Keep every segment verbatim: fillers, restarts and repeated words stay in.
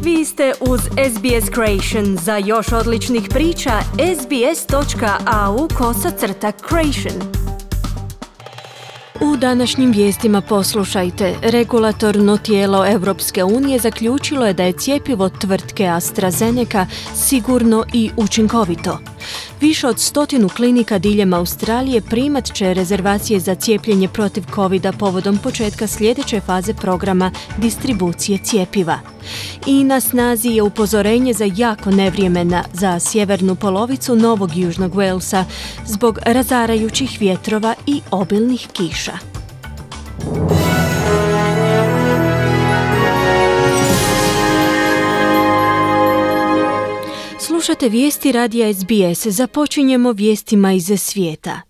Vi ste uz S B S Creation. Za još odličnih priča, sbs.au kosacrta creation. U današnjim vijestima poslušajte. Regulatorno tijelo Europske unije zaključilo je da je cjepivo tvrtke AstraZeneca sigurno i učinkovito. Više od stotinu klinika diljem Australije primat će rezervacije za cijepljenje protiv covida povodom početka sljedeće faze programa distribucije cjepiva. I na snazi je upozorenje za jako nevrijeme za sjevernu polovicu Novog Južnog Walesa zbog razarajućih vjetrova i obilnih kiša. Slušate vijesti radija S B S. Započinjemo vijestima iz svijeta.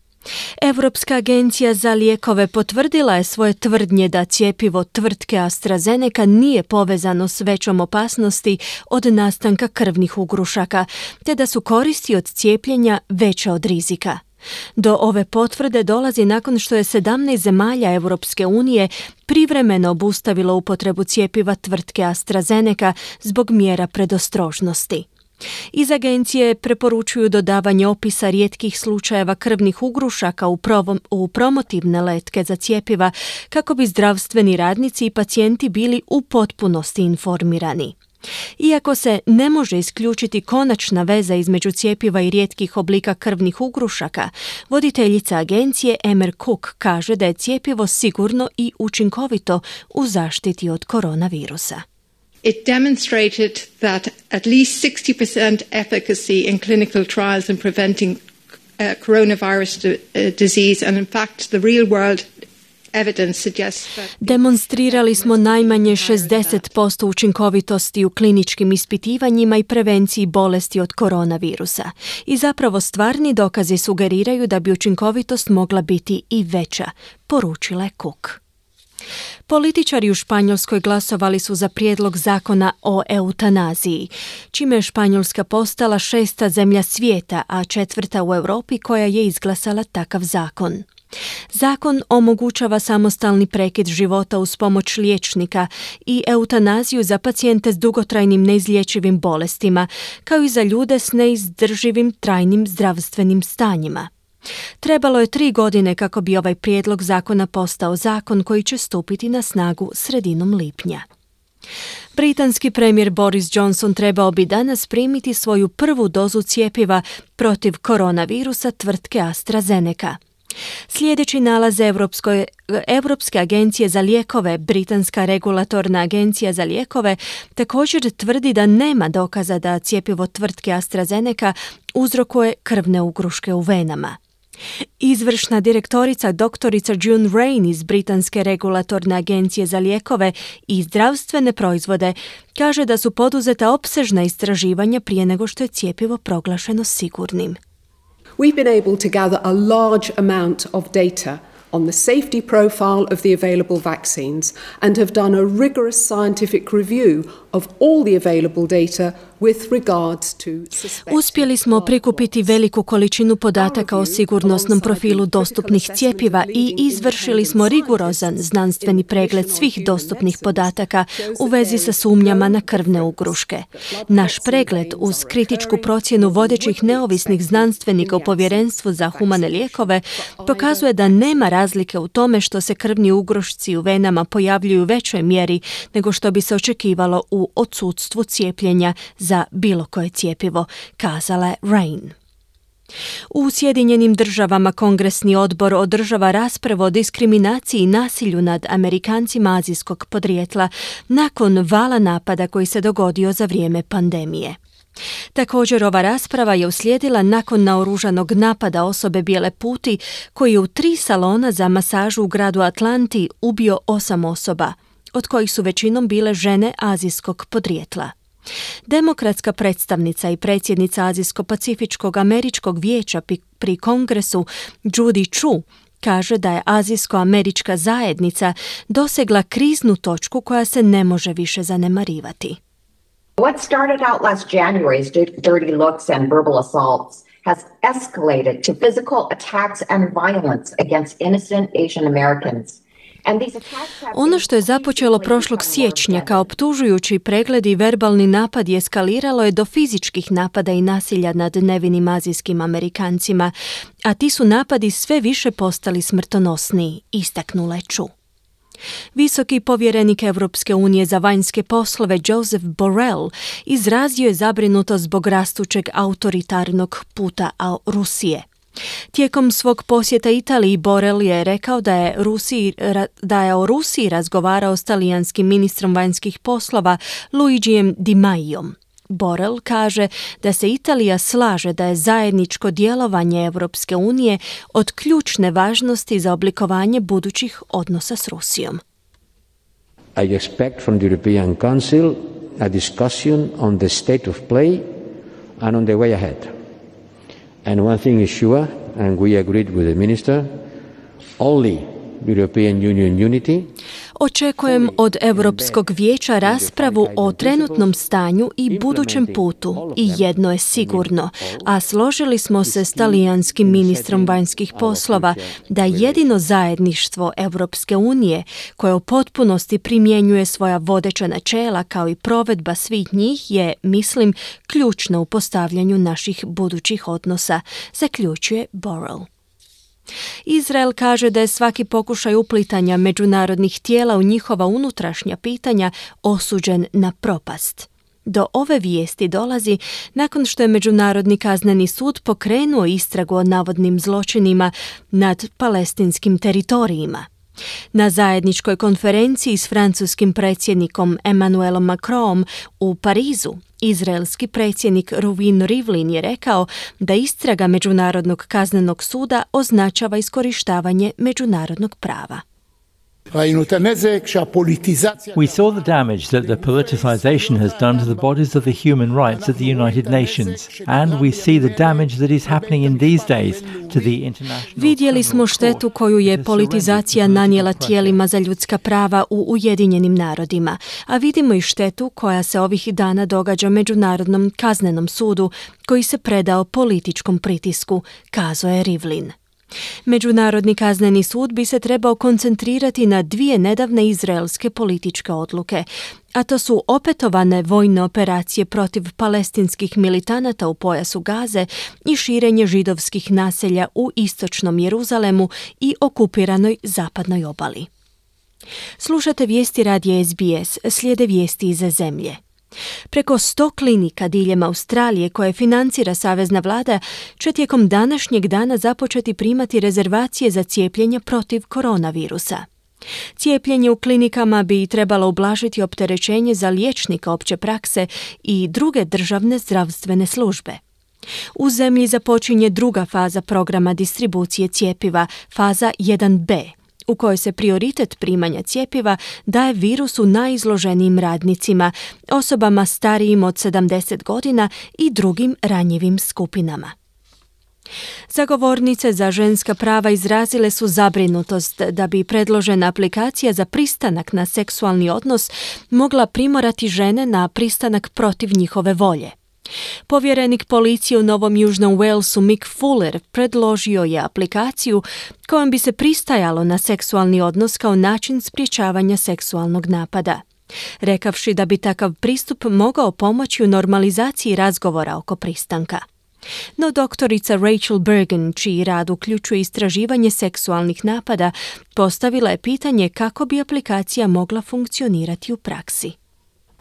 Europska agencija za lijekove potvrdila je svoje tvrdnje da cjepivo tvrtke AstraZeneca nije povezano s većom opasnosti od nastanka krvnih ugrušaka, te da su koristi od cijepljenja veće od rizika. Do ove potvrde dolazi nakon što je sedamnaest zemalja Europske unije privremeno obustavilo upotrebu cjepiva tvrtke AstraZeneca zbog mjera predostrožnosti. Iz agencije preporučuju dodavanje opisa rijetkih slučajeva krvnih ugrušaka u, provom, u promotivne letke za cjepiva kako bi zdravstveni radnici i pacijenti bili u potpunosti informirani. Iako se ne može isključiti konačna veza između cjepiva i rijetkih oblika krvnih ugrušaka, voditeljica agencije Emer Cook kaže da je cjepivo sigurno i učinkovito u zaštiti od koronavirusa. It demonstrated that at least sixty percent efficacy in clinical trials in preventing uh, coronavirus d- uh, disease, and in fact the real world evidence suggests that... Demonstrirali smo najmanje šezdeset posto učinkovitosti u kliničkim ispitivanjima i prevenciji bolesti od koronavirusa. I zapravo stvarni dokazi sugeriraju da bi učinkovitost mogla biti i veća, poručila je Cook. Političari u Španjolskoj glasovali su za prijedlog zakona o eutanaziji, čime je Španjolska postala šesta zemlja svijeta, a četvrta u Europi koja je izglasala takav zakon. Zakon omogućava samostalni prekid života uz pomoć liječnika i eutanaziju za pacijente s dugotrajnim neizlječivim bolestima, kao i za ljude s neizdrživim trajnim zdravstvenim stanjima. Trebalo je tri godine kako bi ovaj prijedlog zakona postao zakon koji će stupiti na snagu sredinom lipnja. Britanski premijer Boris Johnson trebao bi danas primiti svoju prvu dozu cjepiva protiv koronavirusa tvrtke AstraZeneca. Sljedeći nalaz Europskoj, Europske agencije za lijekove, Britanska regulatorna agencija za lijekove, također tvrdi da nema dokaza da cjepivo tvrtke AstraZeneca uzrokuje krvne ugruške u venama. Izvršna direktorica doktorica June Rain iz Britanske regulatorne agencije za lijekove i zdravstvene proizvode kaže da su poduzeta opsežna istraživanja prije nego što je cjepivo proglašeno sigurnim. We've been able to gather a large amount of data on the safety profile of the available vaccines and have done a rigorous scientific review of all the available data with regards to suspected... Uspjeli smo prikupiti veliku količinu podataka o sigurnosnom profilu dostupnih cjepiva i izvršili smo rigorozan znanstveni pregled svih dostupnih podataka u vezi sa sumnjama na krvne ugruške. Naš pregled uz kritičku procjenu vodećih neovisnih znanstvenika u Povjerenstvu za humane lijekove pokazuje da nema razlike u tome što se krvni ugrušci u venama pojavljuju u većoj mjeri nego što bi se očekivalo u odsustvu cijepljenja za bilo koje cjepivo, kazala je Rain. U Sjedinjenim državama Kongresni odbor održava raspravu o diskriminaciji i nasilju nad Amerikancima azijskog podrijetla nakon vala napada koji se dogodio za vrijeme pandemije. Također ova rasprava je uslijedila nakon naoružanog napada osobe bijele puti koji je u tri salona za masažu u gradu Atlanti ubio osam osoba, od kojih su većinom bile žene azijskog podrijetla. Demokratska predstavnica i predsjednica Azijsko-pacifičkog američkog vijeća pri Kongresu Judy Chu kaže da je azijsko-američka zajednica dosegla kriznu točku koja se ne može više zanemarivati. What started out last January's dirty looks and verbal assaults has escalated to physical attacks and violence against innocent Asian Americans. Ono što je započelo prošlog siječnja kao optužujući pregled i verbalni napad eskaliralo je do fizičkih napada i nasilja nad nevinim azijskim Amerikancima, a ti su napadi sve više postali smrtonosniji, istaknula je Chu. Visoki povjerenik Europske unije za vanjske poslove Joseph Borrell izrazio je zabrinutost zbog rastućeg autoritarnog puta Rusije. Tijekom svog posjeta Italiji Borrell je rekao da je, Rusiji, da je o Rusiji razgovarao s talijanskim ministrom vanjskih poslova Luigijem Di Maiom. Borrell kaže da se Italija slaže da je zajedničko djelovanje Europske unije od ključne važnosti za oblikovanje budućih odnosa s Rusijom. I expect from the European Council a discussion on the state of play and on the way ahead. And one thing is sure, and we agreed with the minister, only European Union unity. Očekujem od Europskog vijeća raspravu o trenutnom stanju i budućem putu i jedno je sigurno, a složili smo se s talijanskim ministrom vanjskih poslova da jedino zajedništvo Europske unije koje u potpunosti primjenjuje svoja vodeća načela kao i provedba svih njih je, mislim, ključno u postavljanju naših budućih odnosa, zaključuje Borrell. Izrael kaže da je svaki pokušaj uplitanja međunarodnih tijela u njihova unutrašnja pitanja osuđen na propast. Do ove vijesti dolazi nakon što je Međunarodni kazneni sud pokrenuo istragu o navodnim zločinima nad palestinskim teritorijima. Na zajedničkoj konferenciji s francuskim predsjednikom Emmanuelom Macronom u Parizu, izraelski predsjednik Reuven Rivlin je rekao da istraga Međunarodnog kaznenog suda označava iskorištavanje međunarodnog prava. We saw the damage that the politicization has done to the bodies of the human rights at the United Nations, and we see the damage that is happening in these days to the international. Vidjeli smo štetu koju je politizacija nanijela tijelima za ljudska prava u Ujedinjenim narodima, a vidimo i štetu koja se ovih dana događa Međunarodnom kaznenom sudu koji se predao političkom pritisku, kazao je Rivlin. Međunarodni kazneni sud bi se trebao koncentrirati na dvije nedavne izraelske političke odluke, a to su opetovane vojne operacije protiv palestinskih militanata u pojasu Gaze i širenje židovskih naselja u istočnom Jeruzalemu i okupiranoj zapadnoj obali. Slušate vijesti radija S B S, slijede vijesti iz zemlje. Preko sto klinika diljem Australije koje financira savezna vlada će tijekom današnjeg dana započeti primati rezervacije za cijepljenje protiv koronavirusa. Cijepljenje u klinikama bi trebalo ublažiti opterećenje za liječnika opće prakse i druge državne zdravstvene službe. U zemlji započinje druga faza programa distribucije cjepiva, faza jedan B, u kojoj se prioritet primanja cjepiva daje virusu najizloženijim radnicima, osobama starijim od sedamdeset godina i drugim ranjivim skupinama. Zagovornice za ženska prava izrazile su zabrinutost da bi predložena aplikacija za pristanak na seksualni odnos mogla primorati žene na pristanak protiv njihove volje. Povjerenik policije u Novom Južnom Walesu Mick Fuller predložio je aplikaciju kojom bi se pristajalo na seksualni odnos kao način sprječavanja seksualnog napada, rekavši da bi takav pristup mogao pomoći u normalizaciji razgovora oko pristanka. No doktorica Rachel Bergen, čiji rad uključuje istraživanje seksualnih napada, postavila je pitanje kako bi aplikacija mogla funkcionirati u praksi.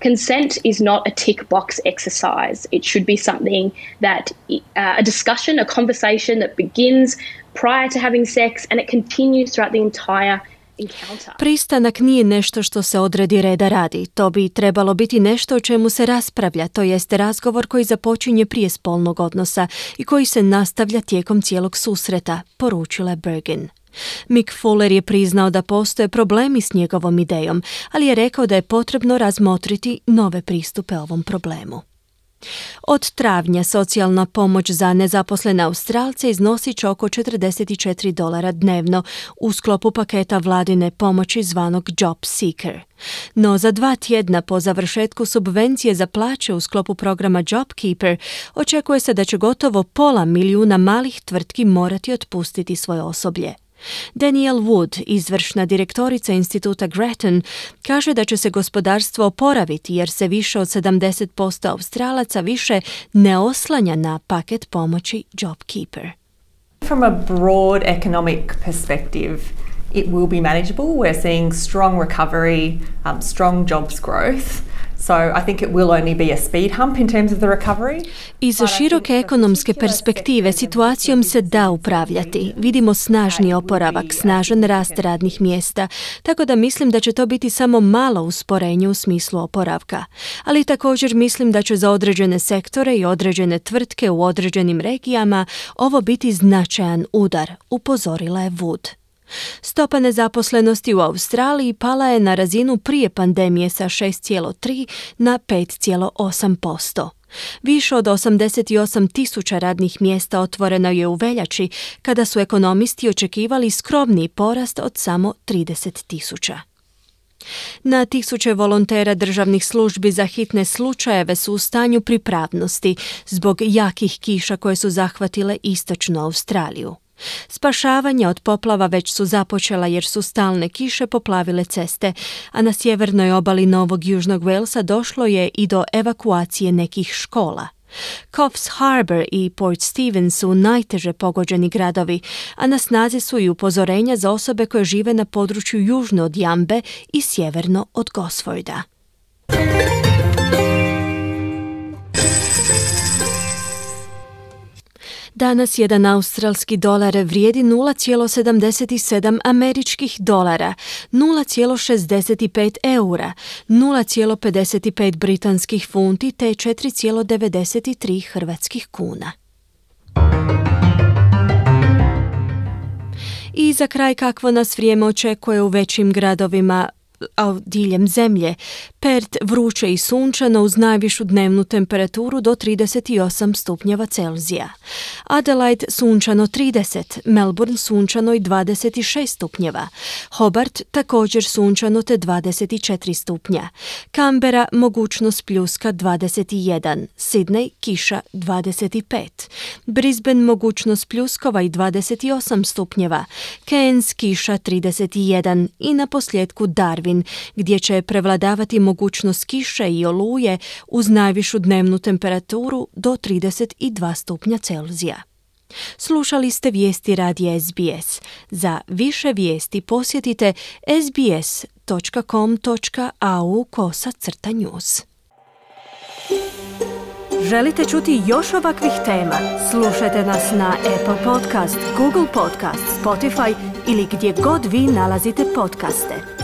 Consent is not a tick box exercise. It should be something that uh, a discussion, a conversation that begins prior to having sex and it continues throughout the entire encounter. Pristanak nije nešto što se odredi reda radi. To bi trebalo biti nešto o čemu se raspravlja, to jest razgovor koji započinje prije spolnog odnosa i koji se nastavlja tijekom cijelog susreta, poručila Bergen. Mick Fuller je priznao da postoje problemi s njegovom idejom, ali je rekao da je potrebno razmotriti nove pristupe ovom problemu. Od travnja socijalna pomoć za nezaposlene Australce iznosit će oko četrdeset četiri dolara dnevno u sklopu paketa vladine pomoći zvanog Job Seeker. No za dva tjedna po završetku subvencije za plaće u sklopu programa JobKeeper očekuje se da će gotovo pola milijuna malih tvrtki morati otpustiti svoje osoblje. Danielle Wood, izvršna direktorica instituta Grattan, kaže da će se gospodarstvo oporaviti jer se više od sedamdeset posto Australaca više ne oslanja na paket pomoći JobKeeper. From a broad economic perspective, it will be manageable. We're seeing strong recovery, um, strong jobs growth. So I think it will only be a speed hump in terms of the recovery. Iz široke ekonomske perspektive situacijom se da upravljati. Vidimo snažni oporavak, snažan rast radnih mjesta, tako da mislim da će to biti samo malo usporenje u smislu oporavka. Ali također mislim da će za određene sektore i određene tvrtke u određenim regijama ovo biti značajan udar, upozorila je Wood. Stopa nezaposlenosti u Australiji pala je na razinu prije pandemije sa šest zarez tri na pet zarez osam posto. Više od osamdeset osam tisuća radnih mjesta otvoreno je u veljači, kada su ekonomisti očekivali skromniji porast od samo trideset tisuća. Na tisuće volontera državnih službi za hitne slučajeve su u stanju pripravnosti zbog jakih kiša koje su zahvatile istočnu Australiju. Spašavanja od poplava već su započela jer su stalne kiše poplavile ceste, a na sjevernoj obali Novog Južnog Walesa došlo je i do evakuacije nekih škola. Coffs Harbour i Port Stephens su najteže pogođeni gradovi, a na snazi su i upozorenja za osobe koje žive na području južno od Jambe i sjeverno od Gosforda. Danas jedan australski dolar vrijedi nula zarez sedamdeset sedam američkih dolara, nula zarez šezdeset pet eura, nula zarez pedeset pet britanskih funti te četiri zarez devedeset tri hrvatskih kuna. I za kraj kakvo nas vrijeme očekuje u većim gradovima a diljem zemlje. Perth vruće i sunčano uz najvišu dnevnu temperaturu do trideset osam stupnjeva Celzija. Adelaide sunčano trideset, Melbourne sunčano i dvadeset šest stupnjeva. Hobart također sunčano te dvadeset četiri stupnja. Canberra mogućnost pljuska dvadeset jedan, Sydney kiša dvadeset pet. Brisbane mogućnost pljuskova i dvadeset osam stupnjeva. Cairns kiša trideset jedan i na posljedku Darwin gdje će prevladavati mogućnost kiše i oluje uz najvišu dnevnu temperaturu do trideset dva stupnja Celzija. Slušali ste vijesti radija S B S. Za više vijesti posjetite sbs.com.au kosa crta news. Želite čuti još ovakvih tema? Slušajte nas na Apple Podcast, Google Podcast, Spotify ili gdje god vi nalazite podcaste.